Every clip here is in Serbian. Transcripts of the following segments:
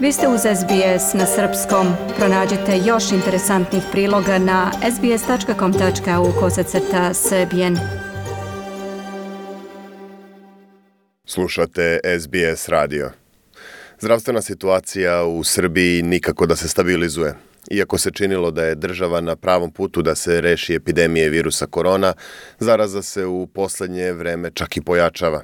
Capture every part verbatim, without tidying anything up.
Vi ste uz S B S na srpskom. Pronađite još interesantnih priloga na sbs tačka com tačka au kosacrta srbijen. Slušate S B S radio. Zdravstvena situacija u Srbiji nikako da se stabilizuje. Iako se činilo da je država na pravom putu da se reši epidemije virusa korona, zaraza se u poslednje vreme čak i pojačava.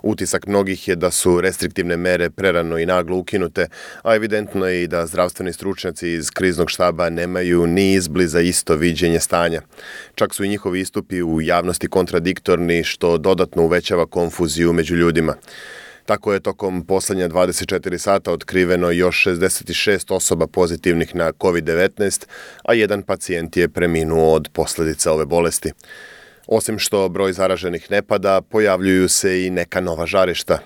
Utisak mnogih je da su restriktivne mere prerano i naglo ukinute, a evidentno je i da zdravstveni stručnjaci iz kriznog štaba nemaju ni izbliza isto viđenje stanja. Čak su i njihovi istupi u javnosti kontradiktorni, što dodatno uvećava konfuziju među ljudima. Tako je tokom poslednja dvadeset četiri sata otkriveno još šezdeset šest osoba pozitivnih na kovid devetnaest, a jedan pacijent je preminuo od posledica ove bolesti. Osim što broj zaraženih ne pada, pojavljuju se i neka nova žarišta.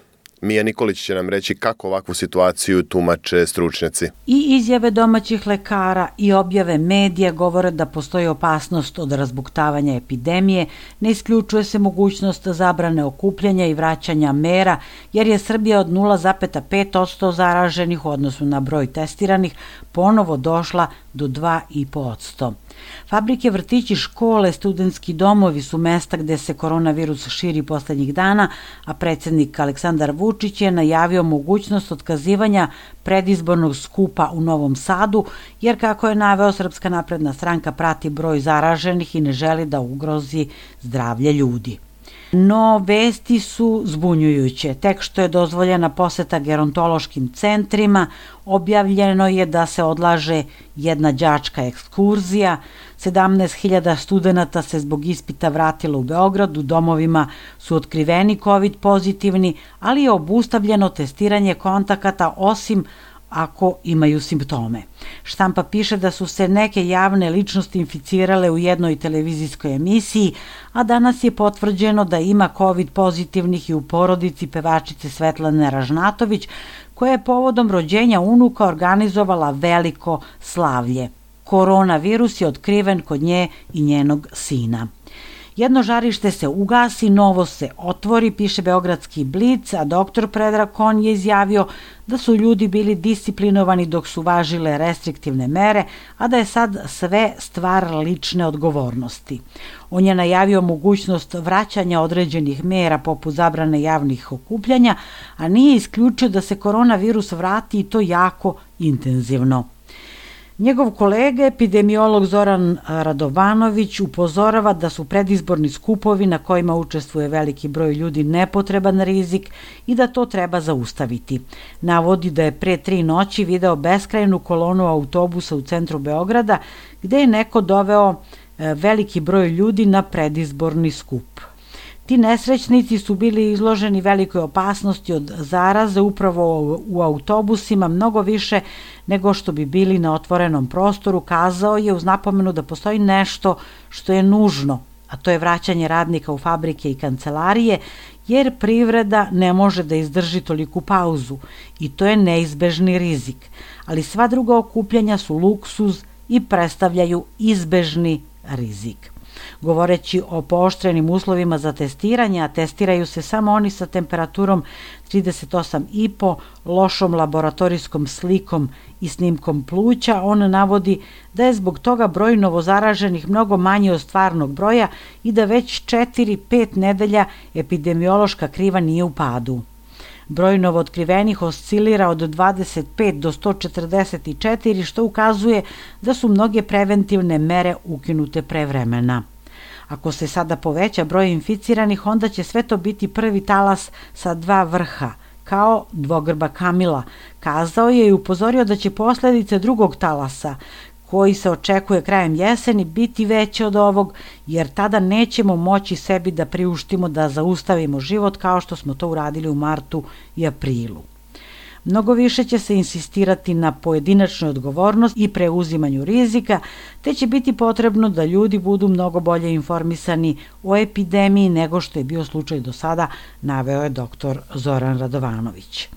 Mija Nikolić će nam reći kako ovakvu situaciju tumače stručnjaci. I izjave domaćih lekara i objave medija govore da postoji opasnost od razbuktavanja epidemije, ne isključuje se mogućnost zabrane okupljanja i vraćanja mera, jer je Srbija od nula zarez pet posto zaraženih u odnosu na broj testiranih ponovo došla do dva zarez pet posto. Fabrike, vrtići, škole, studentski domovi su mesta gde se koronavirus širi poslednjih dana, a predsjednik Aleksandar Vučić je najavio mogućnost otkazivanja predizbornog skupa u Novom Sadu, jer kako je naveo, Srpska napredna stranka prati broj zaraženih i ne želi da ugrozi zdravlje ljudi. No, vesti su zbunjujuće. Tek što je dozvoljena poseta gerontološkim centrima, objavljeno je da se odlaže jedna đačka ekskurzija, sedamnaest hiljada studenata se zbog ispita vratilo u Beograd, u domovima su otkriveni kovid pozitivni, ali je obustavljeno testiranje kontakata osim ako imaju simptome. Štampa piše da su se neke javne ličnosti inficirale u jednoj televizijskoj emisiji, a danas je potvrđeno da ima kovid pozitivnih i u porodici pevačice Svetlane Ražnatović, koja je povodom rođenja unuka organizovala veliko slavlje. Koronavirus je otkriven kod nje i njenog sina. Jedno žarište se ugasi, novo se otvori, piše Beogradski Blic, a doktor Predrag Kon je izjavio da su ljudi bili disciplinovani dok su važile restriktivne mere, a da je sad sve stvar lične odgovornosti. On je najavio mogućnost vraćanja određenih mera poput zabrane javnih okupljanja, a nije isključio da se koronavirus vrati i to jako intenzivno. Njegov kolega, epidemiolog Zoran Radovanović, upozorava da su predizborni skupovi na kojima učestvuje veliki broj ljudi nepotreban rizik i da to treba zaustaviti. Navodi da je pre tri noći video beskrajnu kolonu autobusa u centru Beograda gde je neko doveo veliki broj ljudi na predizborni skup. Ti nesrećnici su bili izloženi velikoj opasnosti od zaraze upravo u autobusima, mnogo više nego što bi bili na otvorenom prostoru, kazao je uz napomenu da postoji nešto što je nužno, a to je vraćanje radnika u fabrike i kancelarije, jer privreda ne može da izdrži toliku pauzu i to je neizbežni rizik. Ali sva druga okupljanja su luksuz i predstavljaju izbežni rizik. Govoreći o pooštrenim uslovima za testiranje, a testiraju se samo oni sa temperaturom trideset osam i po, lošom laboratorijskom slikom i snimkom pluća, on navodi da je zbog toga broj novozaraženih mnogo manji od stvarnog broja i da već četiri pet nedelja epidemiološka kriva nije u padu. Broj novootkrivenih oscilira od dvadeset pet do sto četrdeset četiri, što ukazuje da su mnoge preventivne mere ukinute pre vremena. Ako se sada poveća broj inficiranih, onda će sve to biti prvi talas sa dva vrha, kao dvogrba Kamila, kazao je i upozorio da će posledice drugog talasa, koji se očekuje krajem jeseni, biti veće od ovog, jer tada nećemo moći sebi da priuštimo da zaustavimo život kao što smo to uradili u martu i aprilu. Mnogo više će se insistirati na pojedinačnoj odgovornosti i preuzimanju rizika, te će biti potrebno da ljudi budu mnogo bolje informisani o epidemiji nego što je bio slučaj do sada, naveo je doktor Zoran Radovanović.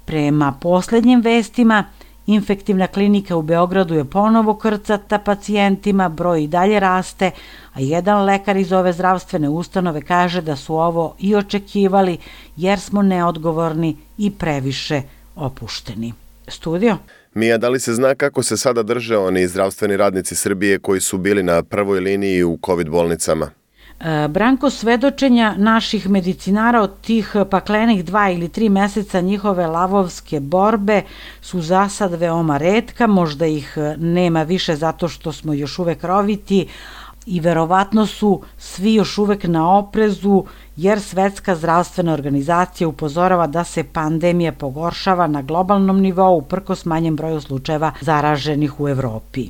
Prema poslednjim vestima, infektivna klinika u Beogradu je ponovo krcata pacijentima, broj i dalje raste, a jedan lekar iz ove zdravstvene ustanove kaže da su ovo i očekivali jer smo neodgovorni i previše opušteni. Studio. Mija, da li se zna kako se sada drže oni zdravstveni radnici Srbije koji su bili na prvoj liniji u COVID bolnicama? Branko, svedočenja naših medicinara od tih paklenih dva ili tri meseca njihove lavovske borbe su za sad veoma retka, možda ih nema više zato što smo još uvek roviti i verovatno su svi još uvek na oprezu jer Svetska zdravstvena organizacija upozorava da se pandemija pogoršava na globalnom nivou uprkos manjem broju slučajeva zaraženih u Evropi.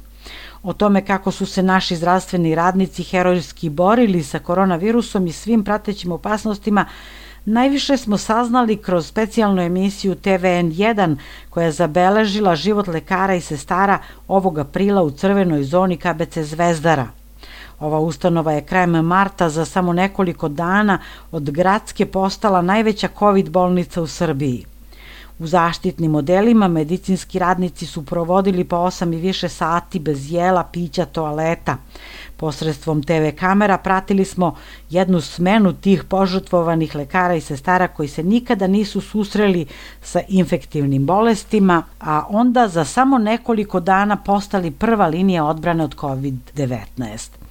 O tome kako su se naši zdravstveni radnici herojski borili sa koronavirusom i svim pratećim opasnostima najviše smo saznali kroz specijalnu emisiju T V N jedan koja je zabeležila život lekara i sestara ovog aprila u crvenoj zoni K B C Zvezdara. Ova ustanova je krajem marta za samo nekoliko dana od gradske postala najveća COVID bolnica u Srbiji. U zaštitnim modelima medicinski radnici su provodili po osam i više sati bez jela, pića, toaleta. Posredstvom T V kamera pratili smo jednu smenu tih požrtvovanih lekara i sestara koji se nikada nisu susreli sa infektivnim bolestima, a onda za samo nekoliko dana postali prva linija odbrane od COVID devetnaest.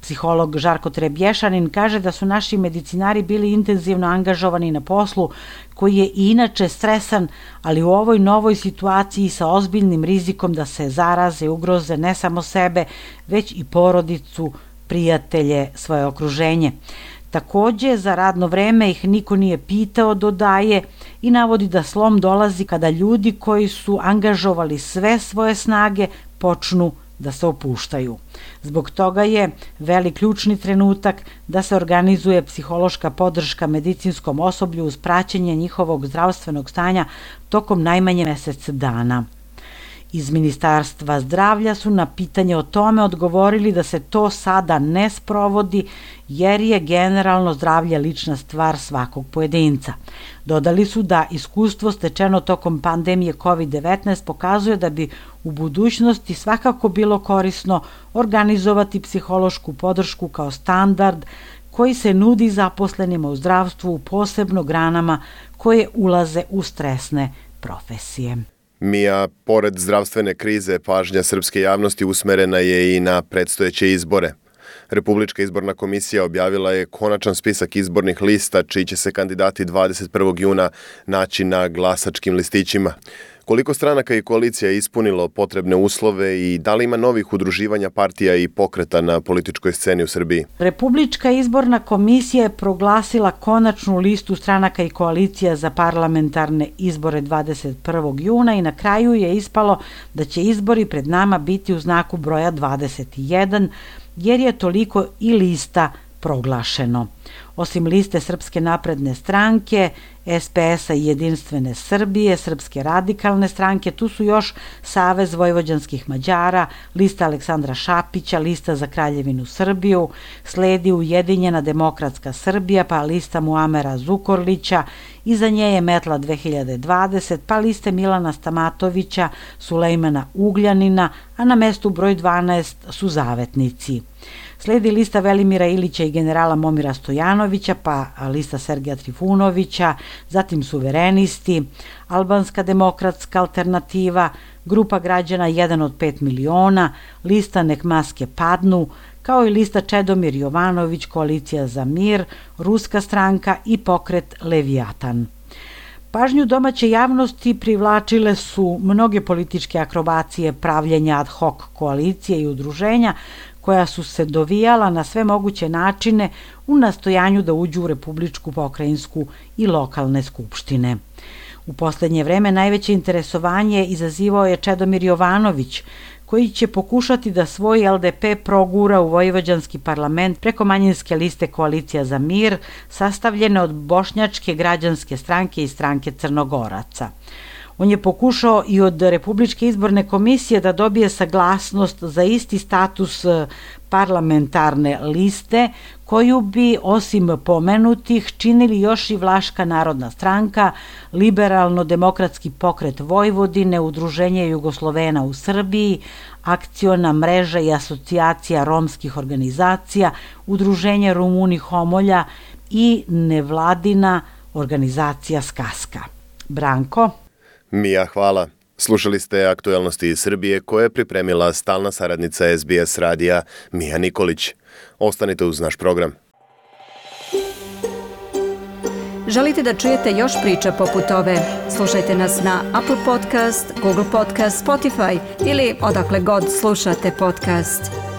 Psiholog Žarko Trebješanin kaže da su naši medicinari bili intenzivno angažovani na poslu koji je i inače stresan, ali u ovoj novoj situaciji sa ozbiljnim rizikom da se zaraze i ugroze ne samo sebe, već i porodicu, prijatelje, svoje okruženje. Takođe, za radno vreme ih niko nije pitao, dodaje, i navodi da slom dolazi kada ljudi koji su angažovali sve svoje snage počnu da se opuštaju. Zbog toga je velik ključni trenutak da se organizuje psihološka podrška medicinskom osoblju uz praćenje njihovog zdravstvenog stanja tokom najmanje mesec dana. Iz Ministarstva zdravlja su na pitanje o tome odgovorili da se to sada ne sprovodi jer je generalno zdravlje lična stvar svakog pojedinca. Dodali su da iskustvo stečeno tokom pandemije COVID devetnaest pokazuje da bi u budućnosti svakako bilo korisno organizovati psihološku podršku kao standard koji se nudi zaposlenima u zdravstvu, posebno granama koje ulaze u stresne profesije. Mija, pored zdravstvene krize, pažnja srpske javnosti usmerena je i na predstojeće izbore. Republička izborna komisija objavila je konačan spisak izbornih lista čiji će se kandidati dvadeset prvog juna naći na glasačkim listićima. Koliko stranaka i koalicija je ispunilo potrebne uslove i da li ima novih udruživanja partija i pokreta na političkoj sceni u Srbiji? Republička izborna komisija je proglasila konačnu listu stranaka i koalicija za parlamentarne izbore dvadeset prvog juna i na kraju je ispalo da će izbori pred nama biti u znaku broja dvadeset jedan, jer je toliko i lista proglašeno. Osim liste Srpske napredne stranke, S P S-a i Jedinstvene Srbije, Srpske radikalne stranke, tu su još Savez vojvođanskih Mađara, lista Aleksandra Šapića, lista za Kraljevinu Srbiju, sledi Ujedinjena demokratska Srbija, pa lista Muamera Zukorlića, iza nje je Metla dve hiljade dvadeset, pa liste Milana Stamatovića, Sulejmana Ugljanina, a na mestu broj dvanaest su Zavetnici. Sledi lista Velimira Ilića i generala Momira Stojanovića, pa lista Sergeja Trifunovića, zatim Suverenisti, Albanska demokratska alternativa, Grupa građana jedan od pet miliona, lista Nek maske padnu, kao i lista Čedomir Jovanović, Koalicija za mir, Ruska stranka i pokret Levijatan. Pažnju domaće javnosti privlačile su mnoge političke akrobacije pravljenja ad hoc koalicije i udruženja koja su se dovijala na sve moguće načine u nastojanju da uđu u republičku, pokrajinsku i lokalne skupštine. U poslednje vreme najveće interesovanje izazivao je Čedomir Jovanović, koji će pokušati da svoj L D P progura u vojvođanski parlament preko manjinske liste Koalicija za mir, sastavljene od Bošnjačke građanske stranke i stranke Crnogoraca. On je pokušao i od Republičke izborne komisije da dobije saglasnost za isti status parlamentarne liste, koju bi osim pomenutih činili još i Vlaška narodna stranka, Liberalno-demokratski pokret Vojvodine, Udruženje Jugoslovena u Srbiji, Akciona mreža i asocijacija romskih organizacija, Udruženje Rumuni Homolja i nevladina organizacija Skaska. Branko? Mija, hvala. Slušali ste aktualnosti iz Srbije koje je pripremila stalna saradnica S B S radija Mija Nikolić. Ostanite uz naš program. Želite da čujete još priča poput ove? Slušajte nas na Apple Podcast, Google Podcast, Spotify ili odakle god slušate podcast.